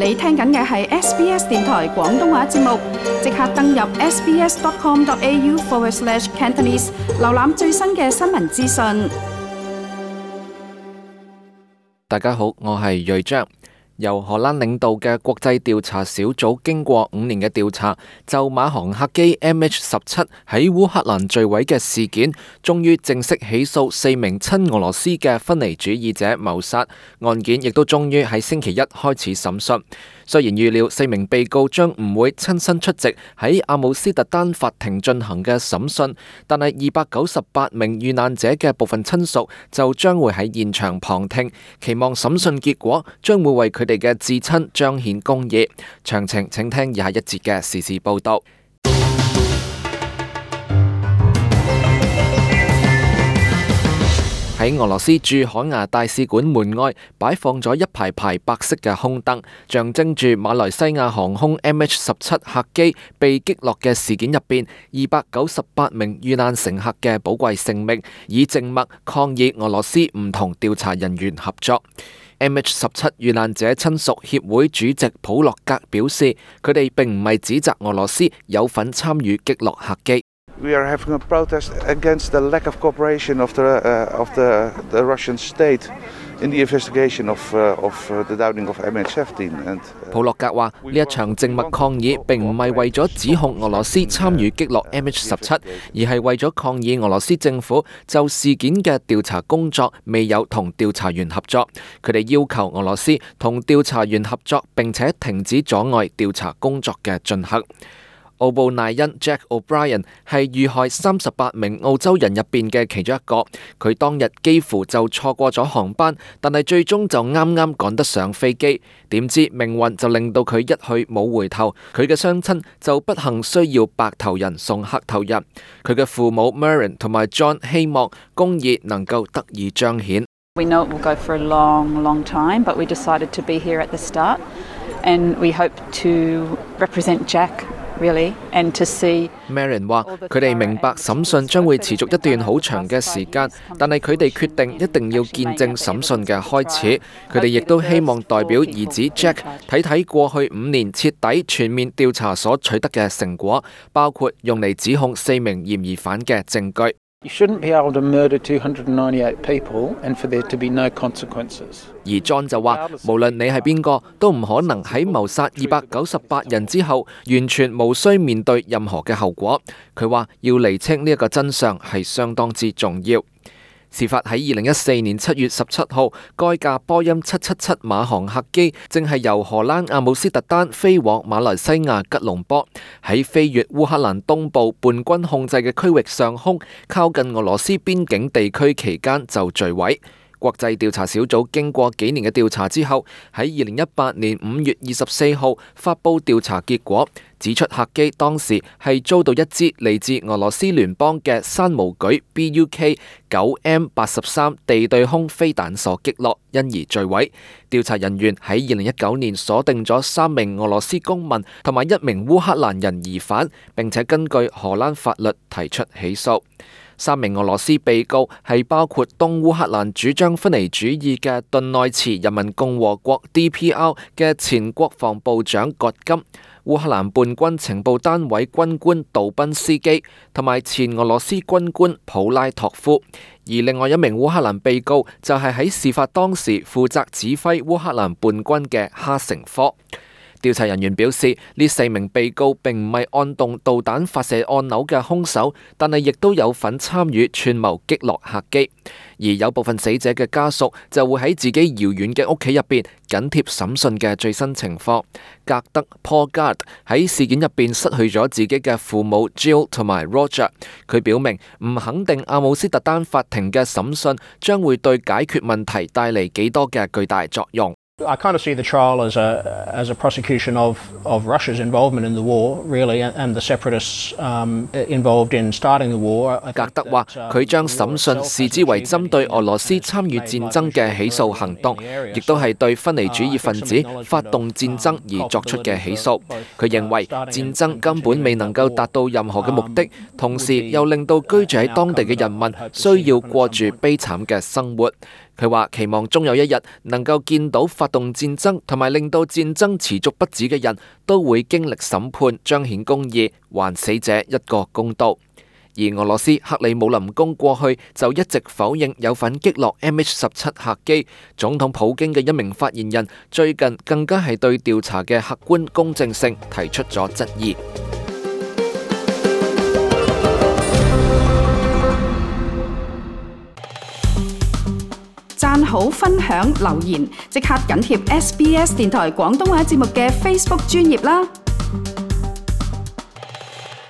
你聽緊嘅係 SBS 電台廣東話節目，即刻登入 sbs.com.au/Cantonese 瀏覽最新嘅新聞資訊。大家好，我係瑞章。由荷蘭領導嘅國際調查小組經過5年嘅調查，就馬航客機 MH17 喺烏克蘭墜毀嘅事件，終於正式起訴4名親俄羅斯嘅分離主義者謀殺案件，亦都終於喺星期一開始審訊。雖然預料4名被告將唔會親身出席喺阿姆斯特丹法庭進行嘅審訊，但係298名遇難者嘅部分親屬就將會喺現場旁聽，期望審訊結果將會為佢哋嘅至親彰顯公義。詳情請聽以下一節嘅時事報道。喺俄羅斯駐海牙大使館門外擺放咗一排排白色嘅空燈，象徵住馬來西亞航空 MH17 客機被擊落嘅事件入邊298名遇難乘客嘅寶貴性命，以靜默抗議俄羅斯唔同調查人員合作。MH17 遇難者親屬協會主席普洛格表示，佢哋並唔係指責俄羅斯有份參與擊落客機。We are having a protest against the lack of cooperation of the Russian state in the investigation of the downing of MH17. 普洛格話：呢一場靜默抗議並唔係為咗指控俄羅斯參與擊落 MH17，而係為咗抗議俄羅斯政府就事件嘅調查工作未有同調查員合作。佢哋要求俄羅斯同調查員合作，並且停止阻礙調查工作嘅進行。奧布賴恩 Jack O'Brien 係遇害38名澳洲人入邊嘅其中一個，佢當日幾乎就錯過咗航班，但係最終就啱啱趕得上飛機，點知命運就令到佢一去冇回頭，佢嘅雙親就不幸需要白頭人送黑頭人。佢嘅父母 Murren 同埋 John 希望公義能夠得以彰顯。We know it will go for a long, long time, but we decided to be here at the start, and we hope to represent Jack.Really, and to see Marin 話：佢哋明白審訊將會持續一段好長嘅時間，但係佢哋決定一定要見證審訊嘅開始。佢哋亦都希望代表兒子 Jack 睇睇過去5年徹底全面調查所取得嘅成果，包括用嚟指控4名嫌疑犯嘅證據。You shouldn't be able to murder 298 people and for there to be no consequences. 而 John 就話，無論你係邊個，都唔可能喺謀殺298人之後，完全無需面對任何嘅後果。佢話要釐清呢一個真相係相當之重要。事發喺2014年7月17號，該架波音777馬航客機正係由荷蘭阿姆斯特丹飛往馬來西亞吉隆坡，喺飛越烏克蘭東部叛軍控制嘅區域上空，靠近俄羅斯邊境地區期間就墜毀。國際調查小組經過幾年嘅調查之後，喺2018年5月24號發佈調查結果，指出客機當時係遭到一支嚟自俄羅斯聯邦嘅山毛舉 BUK-9M83 地對空飛彈所擊落，因而墜毀。調查人員喺2019年鎖定咗3名俄羅斯公民同埋1名烏克蘭人疑犯，並且根據荷蘭法律提出起訴。3名俄羅斯被告係包括東烏克蘭主張分離主義嘅頓內茨人民共和國 DPR 嘅前國防部長葛金、烏克蘭叛軍情報單位軍官杜賓斯基同埋前俄羅斯軍官普拉托夫。而另外1名烏克蘭被告就係喺事發當時負責指揮烏克蘭叛軍嘅哈成科。調查人員表示，呢4名被告並唔係按動導彈發射按鈕嘅兇手，但係亦都有份參與串謀擊落客機。而有部分死者嘅家屬就會喺自己遙遠嘅屋企入邊緊貼審訊嘅最新情況。格德 Paul Gard 喺事件入邊失去咗自己嘅父母 Jill 同埋 Roger。佢表明唔肯定阿姆斯特丹法庭嘅審訊將會對解決問題帶嚟幾多嘅巨大作用。I kind of see the trial as a prosecution of Russia's involvement in the war, really, and the separatists involved in starting the war. 格德話：佢將審訊視之為針對俄羅斯參與戰爭嘅起訴行動，亦都係對分離主義分子發動戰爭而作出嘅起訴。佢認為戰爭根本未能夠達到任何嘅目的，同時又令到居住喺當地嘅人民需要過住悲慘嘅生活。佢話期望終有一日能夠見到發動戰爭同埋令到戰爭持續不止嘅人都會經歷審判，彰顯公義，還死者一個公道。而俄羅斯克里姆林宮過去就一直否認有份擊落 MH17 客機，總統普京嘅一名發言人最近更加係對調查嘅客觀公正性提出咗質疑。讚好、分享、留言，即刻緊貼SBS 電台廣東話節目嘅 Facebook 專頁啦！